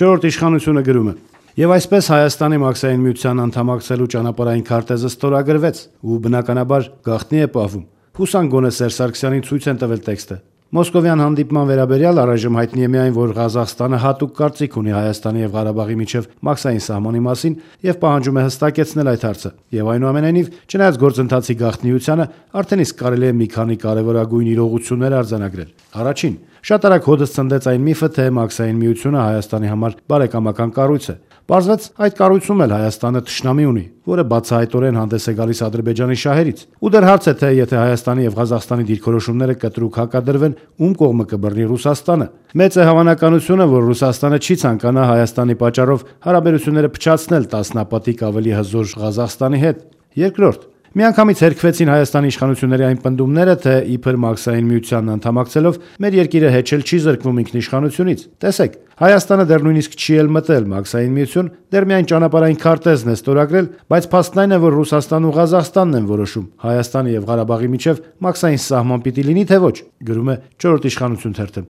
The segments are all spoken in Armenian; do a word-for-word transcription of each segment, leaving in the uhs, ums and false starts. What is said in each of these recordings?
Չորրորդ իշխանությունը գրում է. Եվ այսպես Հայաստանի Մաքսային միության անդամակցելու ճանապարհային քարտեզը ստորագրվեց ու բնականաբար գաղտնի է պահվում։ Հուսանք գոնե Սերժ Սարգսյանին ցույց են տվել տեքստը։ Մոսկովյան հանդիպման վերաբերյալ առայժմ հայտնի է միայն, որ Ղազախստանը հատուկ կարծիք ունի Հայաստանի եւ Ղարաբաղի միջև մաքսային սահմանի մասին եւ պահանջում է հստակեցնել այդ հարցը։ Եվ այնուամենայնիվ, չնայած գործընթացի գաղտնիությանը, արդեն իսկ կարելի է մի քանի կարևորագույն իրողություններ արձանագրել։ Առաջին, շատ արագ հոդս ցնդեց այն միֆը, թե Մաքսային միությունը Հայաստանի համար բարեկամական կառույց է։ Պարզվեց, այդ կառույցում էլ Հայաստանը թշնամի ունի, որը բացահայտորեն հանդես է գալիս Ադրբեջանի շահերից։ Ու դեռ հարց է, թե եթե Հայաստանի եւ Ղազախստանի դիրքորոշումները կտրուկ հակադրվեն, ում կողմը կբռնի Ռուսաստանը։ Մեծ է հավանականությունը, որ Ռուսաստանը չի ցանկանա Հայաստանի պատճառով հարաբերությունները փչացնել տասնապատիկ ավելի հզոր Ղազախստանի հետ։ Երկրորդ, միանգամից հերքվեցին Հայաստանի իշխանությունների այն պնդումները, թե իբր Մաքսային միությանն անդամակցելով մեր երկիրը հեչել չի զրկվում ինքնիշխանությունից։ Տեսեք, Հայաստանը դեռ նույնիսկ չի էլ մտել Մաքսային միություն, դեռ միայն ճանապարհային քարտեզն է ստորագրել, բայց փաստն այն է, որ Ռուսաստանն ու Ղազախստանն են որոշում Հայաստանի եւ Ղարաբաղի միջև Մաքսային սահման պիտի լինի թե ոչ, գրում է Չորրորդ իշխանություն թերթը։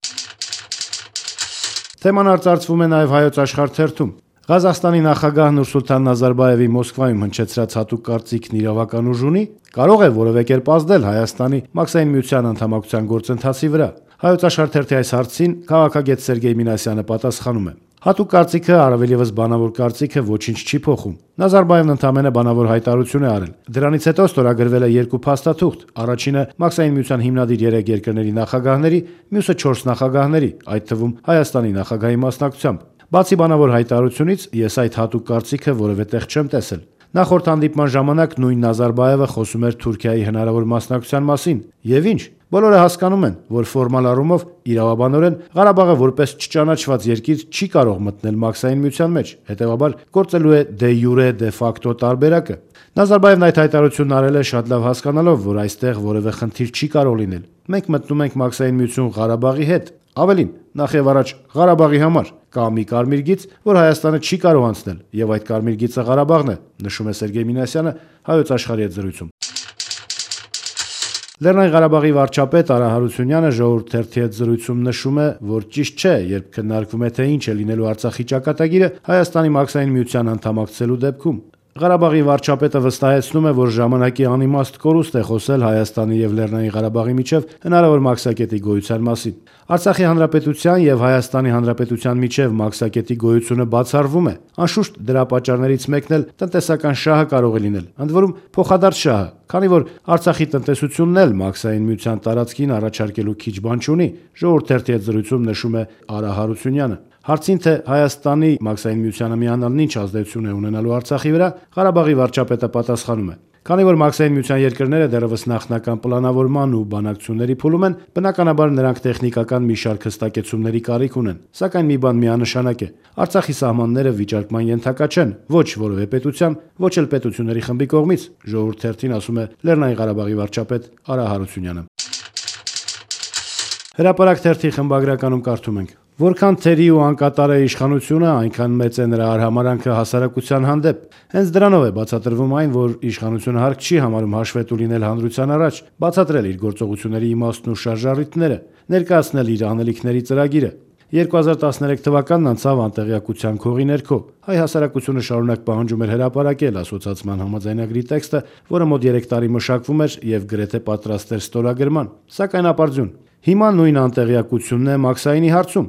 Թեման արծարծվում է նաեւ Հայոց Աշխարհ թերթում։ Ղազախստանի նախագահ Նուրսուլթան Նազարբաևի Մոսկվայում հնչեցրած հատուկ կարծիքն իրավական ուժ ունի, կարող է որևէ կերպ ազդել Հայաստանի Մաքսային միության անդամակցության գործընթացի վրա։ Հայոց Աշխարհ թերթի այս հարցին քաղաքագետ Սերգեյ Մինասյանը պատասխանում է. Հատուկ կարծիքը, առավել ևս բանավոր կարծիքը ոչինչ չի փոխում։ Նազարբաևն ընդամենը բանավոր հայտարարություն է արել։ Դրանից հետո ստորագրվել է երկու փաստաթուղթ։ Առաջինը Մաքսային միության հիմնադիր երեք երկրների նախագահների, մյուսը չորս նախագահների, այդ թվում Հայաստանի նախագահի մասնակցությամբ։ Բացի բանավոր հայտարարությունից, ես այդ հատուկ կարծիքը որևէ տեղ չեմ տեսել։ Նախորդ հանդիպման ժամանակ նույն Նազարբաևը խոսում էր Թուրքիայի հնարավոր մասնակցության մասին։ Եվ ինչ, բոլորը հասկանում են, որ ֆորմալ առումով իրավաբանորեն Ղարաբաղը որպես չճանաչված երկիր չի կարող մտնել Մաքսային միության մեջ, հետևաբար գործելու է դե յուրե դե ֆակտո տարբերակը։ Նազարբաևն այդ հայտարարությունն արել է շատ լավ հասկանալով, որ այստեղ որևէ խնդիր չի կարող լինել։ Մենք մտնում ենք Մաքսային միություն Ղարաբաղի հետ։ Ավելին, նախ եւ առաջ Ղարաբաղի համար կա մի կարմիր գիծ, որ Հայաստանը չի կարող անցնել, եւ այդ կարմիր գիծը Ղարաբաղն է, նշում է Սերգեյ Մինասյանը Հայոց Աշխարհի հետ զրույցում։ Լեռնային Ղարաբաղի վարչապետ Արա Հարությունյանը Ժողովուրդ թերթի հետ զրույցում նշում է, որ ճիշտ չէ, երբ քննարկվում է թե ինչ է լինելու Արցախի ճակատագիրը Հայաստանի Մաքսային միության անդամակցելու դեպքում։ Ղարաբաղի վարչապետը վստահեցնում է, որ ժամանակի անիմաստ կորուստ է խոսել Հայաստանի եւ Լեռնային Ղարաբաղի միջև հնարավոր մաքսակետի գոյության մասին։ Արցախի հանրապետության եւ Հայաստանի հանրապետության միջև մաքսակետի գոյությունը բացառվում է։ Անշուշտ դրա պատճառներից մեկն էլ տնտեսական շահը կարող է լինել, ընդ որում փոխադարձ շահը, քանի որ Արցախի տնտեսությունն էլ Մաքսային միության տարածքին առաջարկելու քիչ բան չունի, Ժողովուրդ թերթի հետ զրույցում նշում է Արա Հարությունյանը։ Հարցին, թե Հայաստանի Մաքսային միությանը միանալն ինչ ազդեցություն է ունենալու Արցախի վրա, Ղարաբաղի վարչապետը պատասխանում է. Քանի որ Մաքսային միության երկրները դեռևս նախնական պլանավորման ու բանակցությունների փուլում են, բնականաբար նրանք տեխնիկական մի շարք հստակեցումների կարիք ունեն, սակայն մի բան միանշանակ է. Արցախի սահմանները վիճարկման ենթակա չեն ոչ որևէ պետության, ոչ էլ պետությունների խմբի կողմից, Ժողովուրդ թերթին ասում է Լեռնային Ղարաբաղի վարչապետ Արա Հարությունյանը։ Հրապարակ թերթի խմբագրականում կարդում ենք. Որքան թերի ու անկատար է իշխանությունը, այնքան մեծ է նրա արհամարանքը հասարակության հանդեպ։ Հենց դրանով է բացատրվում այն, որ իշխանությունը հարկ չի համարում հաշվետու լինել հանրության առաջ, բացատրել իր գործողությունների իմաստն ու շարժառիթները, ներկայացնել իր անելիքների ծրագիրը։ երկու հազար տասներեք թվականն անցավ անտեղյակության քողի ներքո։ Հայ հասարակությունը շարունակ պահանջում էր հրապարակել ասոցիացման համաձայնագրի տեքստը, որը մոտ երեք տարի մշակվում էր եւ գրեթե պատրաստ էր ստորագրման։ Սակայն ապարդյուն, հիմա նույն անտեղյակությունն է Մաքսայինի հարցում։